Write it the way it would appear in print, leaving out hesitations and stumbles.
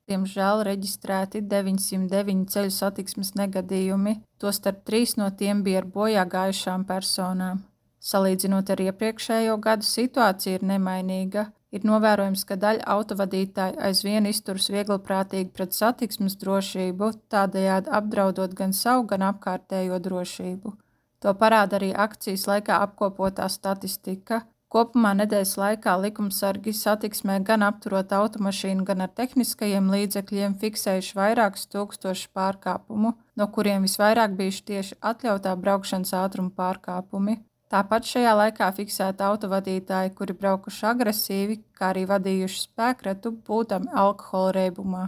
Diemžēl reģistrēti 909 ceļu satiksmes negadījumi, tostarp 3 no tiem bija ar bojā gājušām personām. Salīdzinot ar iepriekšējo gadu, situācija ir nemainīga. Ir novērojams, ka daļa autovadītāju aizvien izturas viegliprātīgi pret satiksmes drošību, tādējādi apdraudot gan savu, gan apkārtējo drošību. To parāda arī akcijas laikā apkopotā statistika. Kopumā nedēļas laikā likumsargi satiksmē gan apturot automašīnu, gan ar tehniskajiem līdzekļiem fiksējuši vairākus tūkstošus pārkāpumu, no kuriem visvairāk bijuši tieši atļautā braukšanas ātruma pārkāpumi. Tāpat šajā laikā fiksēti autovadītāji, kuri braukuši agresīvi, kā arī vadījuši spēkretu būtami alkohola reibumā.